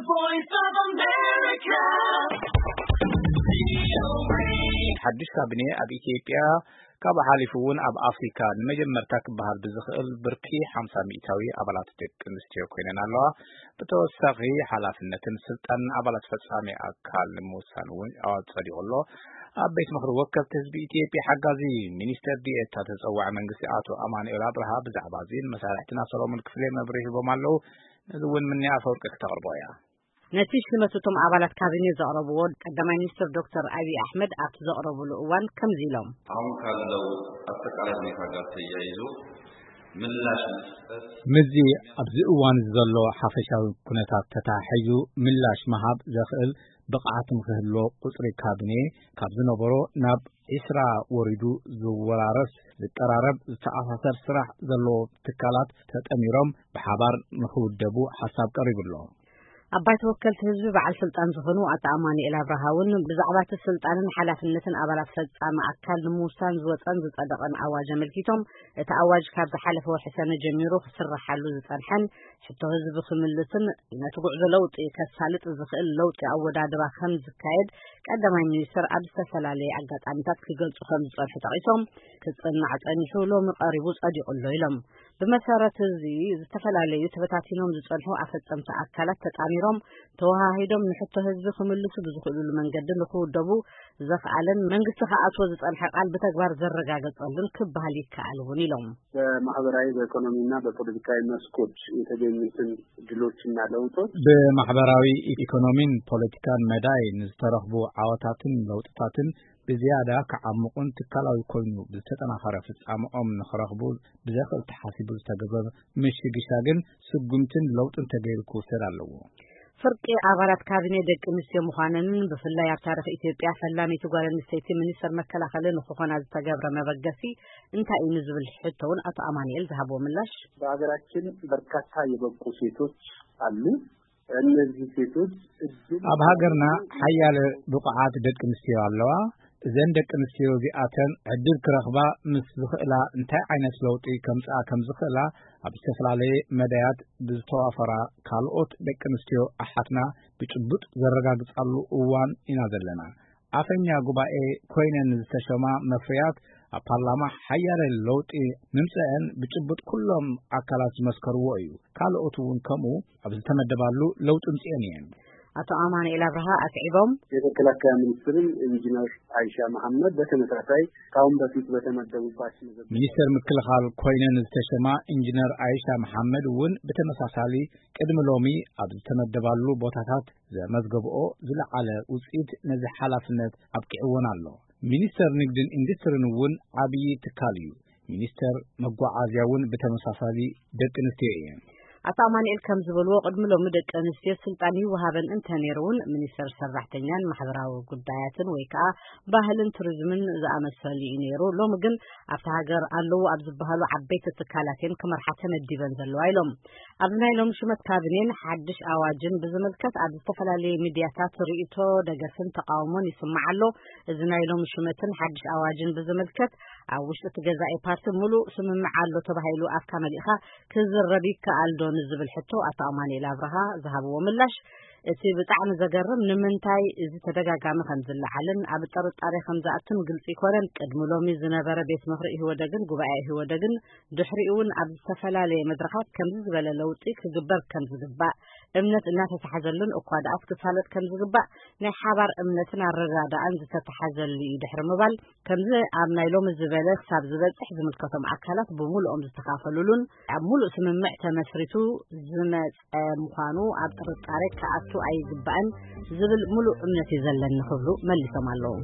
Voice of America. ሓድሽ ካቢኔ ኣብ ኢትዮጵያ ካብ ሓሊፉ እውን ኣብ ኣፍሪካ ንመጀመርታ ክበሃል ብዝኽእል ብርኪ ሓምሳ ሚእታዊ ኣባላት ደቂ ኣንስትዮ ኮይነን ኣለዋ። ብተወሳኺ ሓላፍነትን ስልጣንን ኣባላት ፈጻሚ ኣካል ንምውሳን እውን ኣዋጅ ጸዲቑ ኣሎ። ኣብ ቤት ምኽሪ ወከልቲ ህዝቢ ኢትዮጵያ ሓጋዚ ሚኒስተር ዲኤታ ተጸዋዒ መንግስቲ ኣቶ ኣማኑኤል ኣብርሃ ብዛዕባ እዚን መሳርሕትና ሰሎሞን ክፍሌ መብርሂ ሂቦም ኣለዉ። ነዚ እውን ምንያ ኣፈወርቂ ክተቕርቦ እያ። ነቲ ሽመት እቶም ኣባላት ካቢኔ ዘቕረብዎ ቀዳማይ ሚኒስትር ዶክተር ኣብይ ኣሕመድ ኣብቲ ዘቕረብሉ እዋን ከምዚ ኢሎም። አሁን ካለው አጠቃላይ ሁኔታ ጋር ተያይዞ ምላሽ መስጠት ምስዚ ኣብዚ እዋን ዘሎ ሓፈሻዊ ኩነታት ተታሒዙ ምላሽ ምሃብ ዘኽእል ብቕዓት ንክህልዎ ቁፅሪ ካቢኔ ካብ ዝነበሮ ናብ ዒስራ ወሪዱ ዝወራረስ ዝቀራረብ ዝተኣሳሰር ስራሕ ዘለዎ ትካላት ተጠሚሮም ብሓባር ንክውደቡ ሓሳብ ቀሪቡ ኣሎ። ኣብ ባይቶ ወከልቲ ህዝቢ በዓል ስልጣን ዝኾኑ ኣቶ ኣማኑኤል ኣብርሃ እውን ብዛዕባ እቲ ስልጣንን ሓላፍነትን ኣባላት ፈጻሚ ኣካል ንምውሳን ዝወፀን ዝጸደቐን ኣዋጅ ኣመልኪቶም፣ እቲ ኣዋጅ ካብ ዝሓለፈ ወርሒ ሰነ ጀሚሩ ክስረሓሉ ዝጸንሐን ሕቶ ህዝቢ ክምልስን ነቲ ጉዕዞ ለውጢ ከሳልጥ ዝኽእል ለውጢ ኣወዳድባ ከም ዝካየድ ቀዳማይ ሚኒስትር ኣብ ዝተፈላለየ ኣጋጣሚታት ክገልጹ ከም ዝጸንሑ ጠቒሶም፣ ክጽናዕ ጸኒሑ ሎሚ ቀሪቡ ጸዲቑ ኣሎ ኢሎም። ብመሰረት እዚ ዝተፈላለዩ ተበታቲኖም ዝጸንሑ ኣፈጸምቲ ኣካላት ተጣሚሮም ተወሃሂዶም ንሕቶ ህዝቢ ክምልሱ ብዝኽእሉሉ መንገዲ ንክውደቡ ዘኽኣለን መንግስቲ ክኣትዎ ዝጸንሐ ቃል ብተግባር ዘረጋገጸሉን ክበሃል ይከኣል እውን ኢሎም። በማህበራዊ፣ በኢኮኖሚና በፖለቲካዊ መስኮች የተገኙትን ድሎችና ለውጦች በማሕበራዊ ኢኮኖሚን ፖለቲካን መዳይ ንዝተረኽቡ ዓወታትን ለውጥታትን ብዝያዳ ክዓምቑን ትካላዊ ኮይኑ ብዝተጠናኸረ ፍጻመኦም ንኽረኽቡ ብዘኽእል ተሓሲቡ ዝተገበረ ምሽግሻግን ስጉምትን ለውጥን ተገይሩ ክውሰድ ኣለዎ። ፍርቂ ኣባላት ካቢኔ ደቂ ኣንስትዮ ምዃነንን ብፍላይ ኣብ ታሪኽ ኢትዮጵያ ፈላመይቲ ጓል ኣንስተይቲ ሚኒስተር መከላኸሊ ንክኾና ዝተገብረ መበገሲ እንታይ እዩ ንዝብል ሕቶ እውን ኣቶ ኣማኑኤል ዝሃብዎ ምላሽ። በሀገራችን በርካታ የበቁ ሴቶች አሉ። እነዚህ ሴቶች እድል ኣብ ሃገርና ሓያለ ብቑዓት ደቂ ኣንስትዮ ኣለዋ። እዘን ደቂ ኣንስትዮ እዚኣተን ዕድል ክረኽባ ምስ ዝኽእላ እንታይ ዓይነት ለውጢ ከምጽኣ ከም ዝኽእላ ኣብ ዝተፈላለየ መዳያት ብዝተዋፈራ ካልኦት ደቂ ኣንስትዮ ኣሓትና ብጭቡጥ ዘረጋግጻሉ እዋን ኢና ዘለና። ኣፈኛ ጉባኤ ኮይነን ዝተሸማ መፍርያት ኣብ ፓርላማ ሓያለ ለውጢ ምምጽአን ብጭቡጥ ኩሎም ኣካላት ዝመስከርዎ እዩ። ካልኦት እውን ከምኡ ኣብ ዝተመደባሉ ለውጢ ምጽአን እየን። ኣቶ ኣማኑኤል ኣብርሃ ኣስዒቦም። የመከላከያ ሚኒስትርን ኢንጂነር አይሻ መሐመድ በተመሳሳይ ካሁን በፊት በተመደቡባቸው መዘገብ ሚኒስተር ምክልኻል ኮይነን ዝተሸማ ኢንጂነር ኣይሻ መሐመድ እውን ብተመሳሳሊ ቅድሚ ሎሚ ኣብ ዝተመደባሉ ቦታታት ዘመዝገብኦ ዝለዓለ ውፅኢት ነዚ ሓላፍነት ኣብቂዕወን ኣሎ። ሚኒስተር ንግድን ኢንዱስትሪን እውን ዓብዪ ትካል እዩ። ሚኒስተር መጓዓዝያ እውን ብተመሳሳሊ ደቂ ኣንስትዮ እየን። ኣቶ ኣማኑኤል ከም ዝበልዎ ቅድሚ ሎሚ ደቂ ኣንስትዮ ስልጣን ይወሃበን እንተነይሩ እውን ሚኒስተር ሰራሕተኛን ማሕበራዊ ጉዳያትን ወይ ከዓ ባህልን ቱሪዝምን ዝኣመሰሉ እዩ ነይሩ። ሎሚ ግን ኣብቲ ሃገር ኣለዉ ኣብ ዝበሃሉ ዓበይቲ ትካላት እየን ክመርሓ ተመዲበን ዘለዋ ኢሎም። ኣብዚ ናይ ሎሚ ሽመት ካቢኔን ሓድሽ ኣዋጅን ብዝምልከት ኣብ ዝተፈላለዩ ሚድያታት ርእይቶ፣ ደገፍን ተቃውሞን ይስማዕ ኣሎ። እዚ ናይ ሎሚ ሽመትን ሓድሽ ኣዋጅን ብዝምልከት ኣብ ውሽጢ እቲ ገዛኢ ፓርቲ ሙሉእ ስምምዕ ኣሎ ተባሂሉ ኣፍካ መሊእኻ ክዝረብ ይከኣል ዶ ንዝብል ሕቶ ኣቶ ኣማኑኤል ኣብርሃ ዝሃብዎ ምላሽ፣ እቲ ብጣዕሚ ዘገርም ንምንታይ እዚ ተደጋጋሚ ከም ዝለዓልን ኣብ ጥርጣሬ ከም ዝኣቱን ግልፂ ኣይኮነን። ቅድሚ ሎሚ ዝነበረ ቤት ምኽሪ ኢህወደግን ጉባኤ ኢህወደግን ድሕሪኡ እውን ኣብ ዝተፈላለየ መድረኻት ከምዚ ዝበለ ለውጢ ክግበር ከም ዝግባእ እምነት እናተተሓዘሉን እኳ ደኣስ ክሳለጥ ከም ዝግባእ ናይ ሓባር እምነትን ኣረዳድኣን ዝተተሓዘሉ እዩ ድሕሪ ምባል፣ ከምዚ ኣብ ናይ ሎሚ ዝበለ ክሳብ ዝበፅሕ ዝምልከቶም ኣካላት ብምሉኦም ዝተኻፈሉሉን ኣብ ሙሉእ ስምምዕ ተመስሪቱ ዝመፀ ምዃኑ ኣብ ጥርጣሬ ክኣቱ ኣይግባእን ዝብል ሙሉእ እምነት እዩ ዘለኒ ክብሉ መሊሶም ኣለዉ።